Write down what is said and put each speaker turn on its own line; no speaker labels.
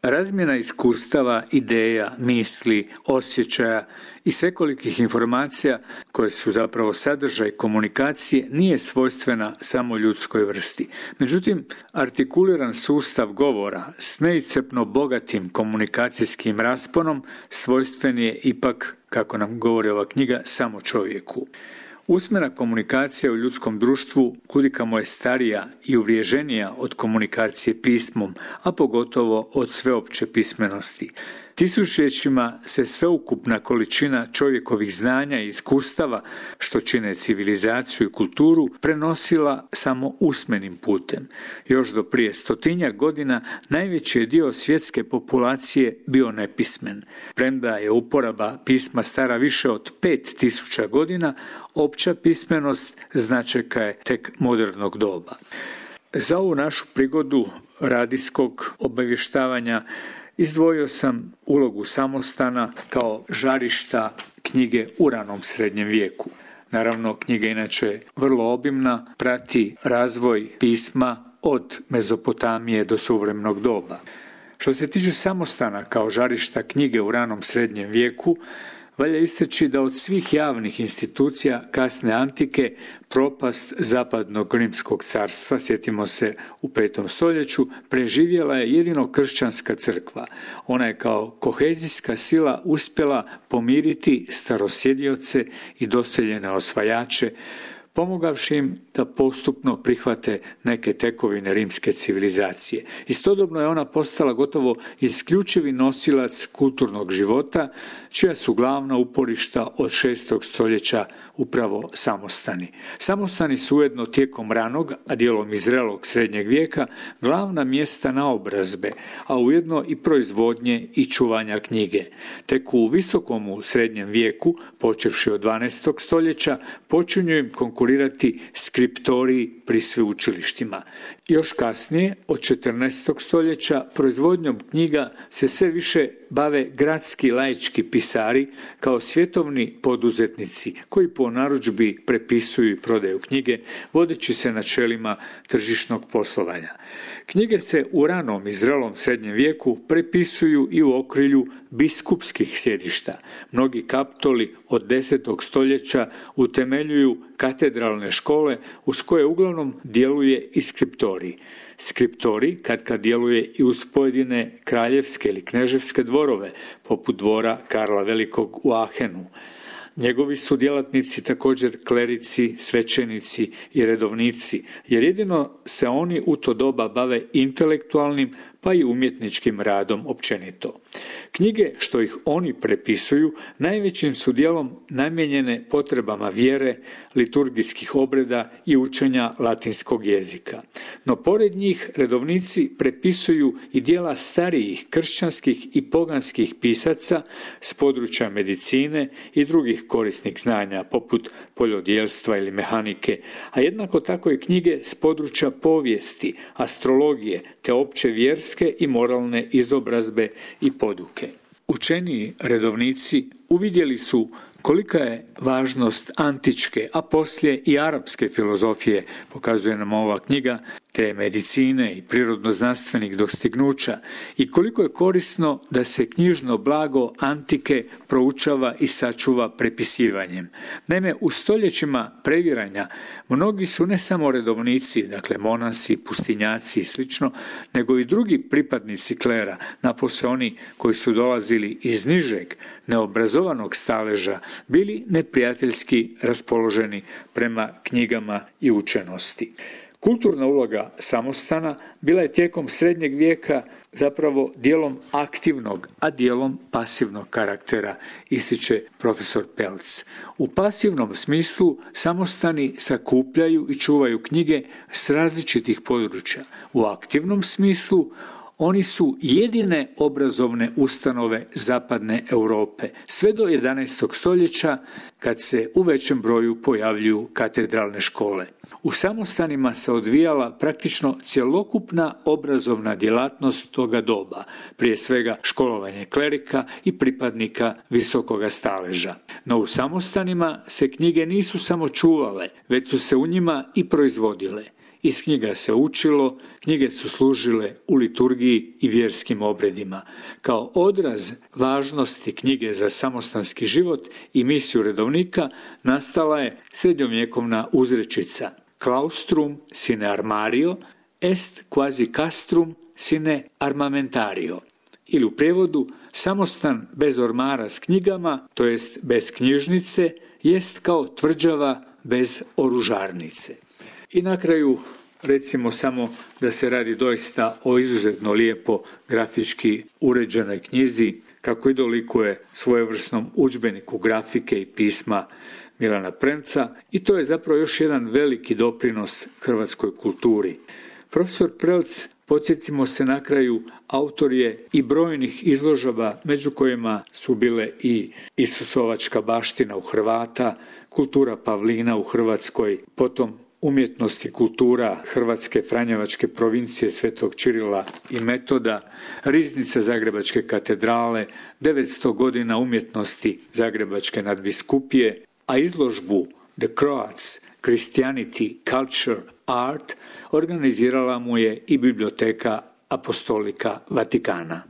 Razmjena iskustava, ideja, misli, osjećaja i svekolikih informacija koje su zapravo sadržaj komunikacije nije svojstvena samo ljudskoj vrsti. Međutim, artikuliran sustav govora s neiscrpno bogatim komunikacijskim rasponom svojstven je ipak, kako nam govori ova knjiga, samo čovjeku. Usmena komunikacija u ljudskom društvu kudikamo je starija i uvriježenija od komunikacije pismom, a pogotovo od sveopće pismenosti. Tisućljećima se sveukupna količina čovjekovih znanja i iskustava, što čine civilizaciju i kulturu, prenosila samo usmenim putem. Još do prije 100 godina najveći je dio svjetske populacije bio nepismen. Premda je uporaba pisma stara više od 5000 godina, opća pismenost značajka je tek modernog doba. Za ovu našu prigodu radijskog obavještavanja izdvojio sam ulogu samostana kao žarišta knjige u ranom srednjem vijeku. Naravno, knjiga inače vrlo obimna, prati razvoj pisma od Mezopotamije do suvremenog doba. Što se tiče samostana kao žarišta knjige u ranom srednjem vijeku, valja istaći da od svih javnih institucija kasne antike propast zapadnog Rimskog carstva, sjetimo se u 5. stoljeću, preživjela je jedino kršćanska crkva. Ona je kao kohezijska sila uspjela pomiriti starosjedioce i doseljene osvajače, pomogavši im da postupno prihvate neke tekovine rimske civilizacije. Istodobno je ona postala gotovo isključivi nosilac kulturnog života, čija su glavna uporišta od 6. stoljeća upravo samostani. Samostani su ujedno tijekom ranog, a dijelom i zrelog srednjeg vijeka, glavna mjesta naobrazbe, a ujedno i proizvodnje i čuvanja knjige. Tek u visokom srednjem vijeku, počevši od 12. stoljeća, počinju im konkurirati skriptoriji pri sveučilištima. Još kasnije, od 14. stoljeća, proizvodnjom knjiga se sve više bave gradski laički pisari kao svjetovni poduzetnici koji po narudžbi prepisuju i prodaju knjige, vodeći se načelima tržišnog poslovanja. Knjige se u ranom i zrelom srednjem vijeku prepisuju i u okrilju biskupskih sjedišta. Mnogi kaptoli od 10. stoljeća utemeljuju katedralne škole uz koje uglavnom djeluje i skriptorij. Skriptorij kad djeluje i uz pojedine kraljevske ili kneževske dvorove, poput dvora Karla Velikog u Ahenu. Njegovi su djelatnici također klerici, svećenici i redovnici, jer jedino se oni u to doba bave intelektualnim pa i umjetničkim radom općenito. Knjige što ih oni prepisuju najvećim su dijelom namijenjene potrebama vjere, liturgijskih obreda i učenja latinskog jezika. No pored njih redovnici prepisuju i djela starijih kršćanskih i poganskih pisaca s područja medicine i drugih korisnih znanja poput poljodjelstva ili mehanike, a jednako tako i knjige s područja povijesti, astrologije te opće vjerske i moralne izobrazbe i poduke. Učeniji redovnici uvidjeli su kolika je važnost antičke, a poslije i arapske filozofije, pokazuje nam ova knjiga, te medicine i prirodno-znanstvenih dostignuća i koliko je korisno da se knjižno blago antike proučava i sačuva prepisivanjem. Naime, u stoljećima previranja mnogi su ne samo redovnici, dakle monasi, pustinjaci i slično, nego i drugi pripadnici klera, napose oni koji su dolazili iz nižeg, neobrazovanog staleža, bili neprijateljski raspoloženi prema knjigama i učenosti. Kulturna uloga samostana bila je tijekom srednjeg vijeka zapravo dijelom aktivnog, a dijelom pasivnog karaktera, ističe profesor Pelc. U pasivnom smislu samostani sakupljaju i čuvaju knjige s različitih područja. U aktivnom smislu oni su jedine obrazovne ustanove zapadne Europe, sve do 11. stoljeća kad se u većem broju pojavljuju katedralne škole. U samostanima se odvijala praktično cjelokupna obrazovna djelatnost toga doba, prije svega školovanje klerika i pripadnika visokoga staleža. No u samostanima se knjige nisu samo čuvale, već su se u njima i proizvodile. iz knjiga se učilo, knjige su služile u liturgiji i vjerskim obredima. Kao odraz važnosti knjige za samostanski život i misiju redovnika nastala je srednjovjekovna uzrečica claustrum sine armario est quasi castrum sine armamentario, ili u prijevodu samostan bez ormara s knjigama, to jest bez knjižnice, jest kao tvrđava bez oružarnice. I na kraju recimo samo da se radi doista o izuzetno lijepo grafički uređenoj knjizi, kako i dolikuje svojevrsnom udžbeniku grafike i pisma Milana Premca, i to je zapravo još jedan veliki doprinos hrvatskoj kulturi. Profesor Prelc, podsjetimo se na kraju, autor je i brojnih izložaba, među kojima su bile i Isusovačka baština u Hrvata, kultura pavlina u Hrvatskoj, potom umjetnost i kultura Hrvatske franjevačke provincije Svetog Čirila i Metoda, riznica Zagrebačke katedrale, 900 godina umjetnosti Zagrebačke nadbiskupije, a izložbu The Croats, Christianity, Culture, Art organizirala mu je i Biblioteka Apostolika Vatikana.